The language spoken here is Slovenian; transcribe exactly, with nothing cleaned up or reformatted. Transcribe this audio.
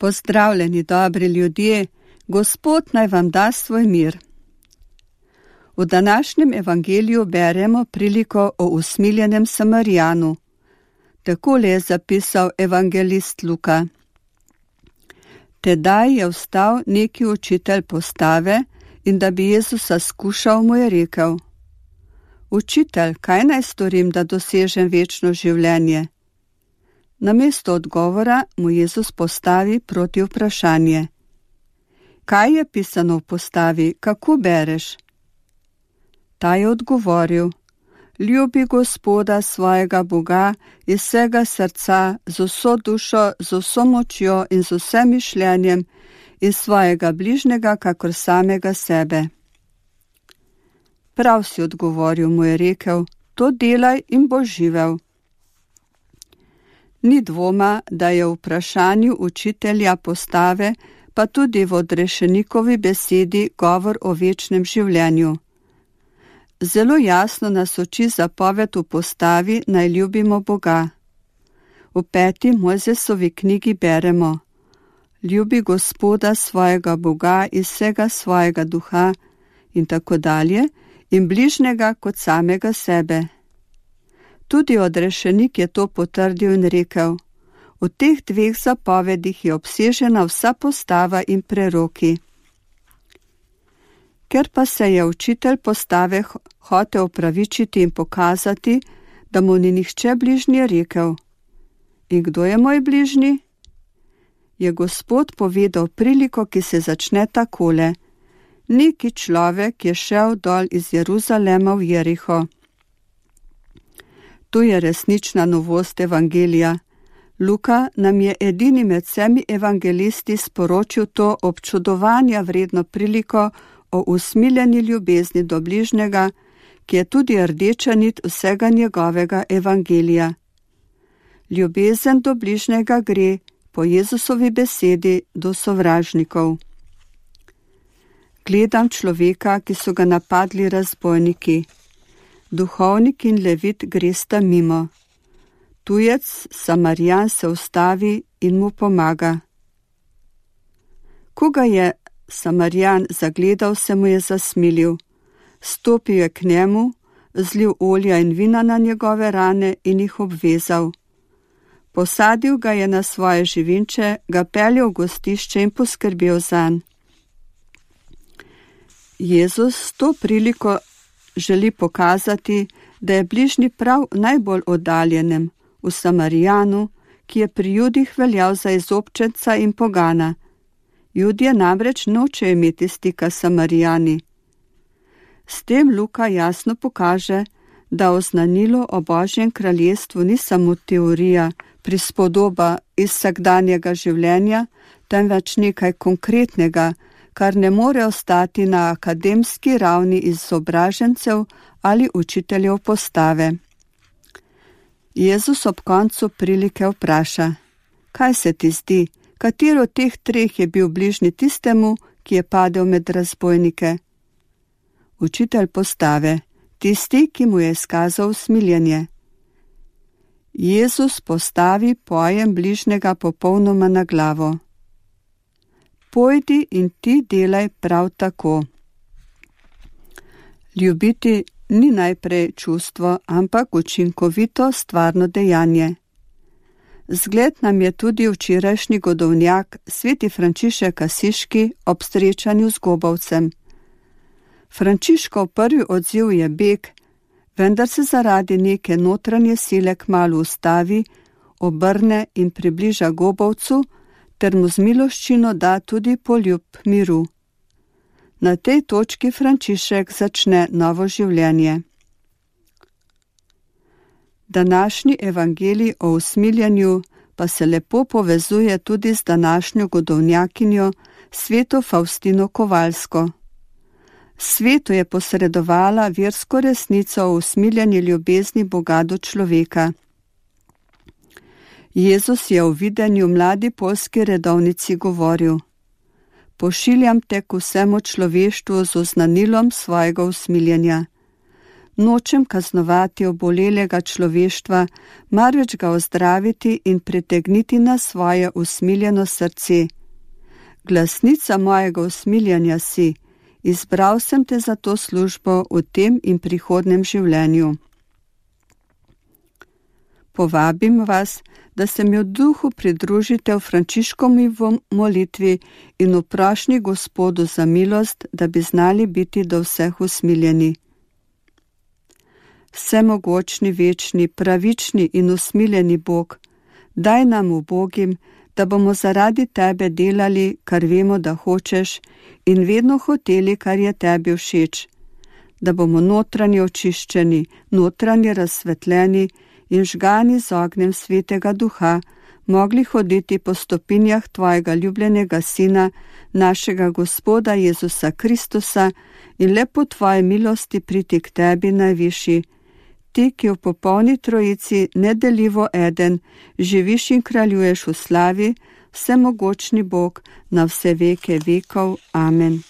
Pozdravljeni, dobri ljudje, Gospod naj vam da svoj mir. V današnjem evangeliju beremo priliko o usmiljenem Samarijanu. Takole je zapisal evangelist Luka. Tedaj je vstal neki učitelj postave in da bi Jezusa skušal, mu je rekel: Učitelj, kaj naj storim, da dosežem večno življenje? Namesto odgovora mu Jezus postavi proti vprašanje. Kaj je pisano v postavi, kako bereš? Ta je odgovoril: Ljubi Gospoda svojega Boga iz vsega srca, z vso dušo, z vso močjo in z vsem mišljenjem, iz svojega bližnjega kakor samega sebe. Prav si odgovoril, mu je rekel, to delaj in boš živel. Ni dvoma, da je v vprašanju učitelja postave, pa tudi v odrešenikovi besedi govor o večnem življenju. Zelo jasno nas uči zapoved v postavi, naj ljubimo Boga. V peti Mojzesovi knjigi beremo: Ljubi Gospoda svojega Boga iz vsega svojega duha in tako dalje, in bližnjega kot samega sebe. Tudi odrešenik je to potrdil in rekel: v teh dveh zapovedih je obsežena vsa postava in preroki. Ker pa se je učitelj postave hotel opravičiti in pokazati, da mu ni nihče bližnji, rekel: In kdo je moj bližnji? Je Gospod povedal priliko, ki se začne takole: Neki človek je šel dol iz Jeruzalema v Jeriho. Tu je resnična novost evangelija. Luka nam je edini med vsemi evangelisti sporočil to občudovanja vredno priliko o usmiljeni ljubezni do bližnjega, ki je tudi rdeča nit vsega njegovega evangelija. Ljubezen do bližnjega gre, po Jezusovi besedi, do sovražnikov. Gledam človeka, ki so ga napadli razbojniki. Duhovnik in levit gresta mimo. Tujec, Samarijan, se ustavi in mu pomaga. Ko ga je Samarijan zagledal, se mu je zasmilil. Stopil je k njemu, zlil olja in vina na njegove rane in jih obvezal. Posadil ga je na svoje živinče, ga peljal v gostišče in poskrbel zanj. Jezus s to priliko želi pokazati, da je bližnji prav najbolj oddaljenem, v Samarijanu, ki je pri Judih veljal za izobčenca in pogana. Judje namreč nočejo imeti stika s Samarijani. S tem Luka jasno pokaže, da oznanilo o Božjem kraljestvu ni samo teorija, prispodoba iz vsakdanjega življenja, temveč nekaj konkretnega, kar ne more ostati na akademski ravni izobražencev ali učiteljev postave. Jezus ob koncu prilike vpraša: Kaj se ti zdi, katero od teh treh je bil bližnji tistemu, ki je padel med razbojnike? Učitelj postave: Tisti, ki mu je izkazal usmiljenje. Jezus postavi pojem bližnjega popolnoma na glavo. Pojdi in ti delaj prav tako. Ljubiti ni najprej čustvo, ampak učinkovito stvarno dejanje. Zgled nam je tudi včerajšnji godovnjak, sveti Frančišek Asiški, ob srečanju z gobavcem. Frančiškov prvi odziv je beg, vendar se zaradi neke notranje sile kmalu ustavi, obrne in približa gobavcu, ter mu z miloščino da tudi poljub miru. Na tej točki Frančišek začne novo življenje. Današnji evangelij o usmiljenju pa se lepo povezuje tudi z današnjo godovnjakinjo, sveto Faustino Kovalsko. Svetu je posredovala versko resnico o usmiljenju ljubezni Boga do človeka. Jezus je v videnju mladi poljski redovnici govoril: Pošiljam te k vsemu človeštvu z oznanilom svojega usmiljenja. nočem kaznovati obolelega človeštva, marveč ga ozdraviti in pritegniti na svoje usmiljeno srce. Glasnica mojega usmiljanja si, izbral sem te za to službo v tem in prihodnem življenju. Povabim vas, da se mi v duhu pridružite v Frančiškovi molitvi in v prošnji Gospodu za milost, da bi znali biti do vseh usmiljeni. Vsemogočni, večni, pravični in usmiljeni Bog, daj nam ubogim, da bomo zaradi tebe delali, kar vemo, da hočeš, in vedno hoteli, kar je tebi všeč, da bomo notranje očiščeni, notranje razsvetljeni in žgani z ognjem Svetega Duha, mogli hoditi po stopinjah tvojega ljubljenega Sina, našega Gospoda Jezusa Kristusa, in le po tvoji milosti priti k tebi najvišji, ti, ki v popolni trojici nedeljivo eden, živiš in kraljuješ v slavi, vsemogočni Bog, na vse veke vekov. Amen.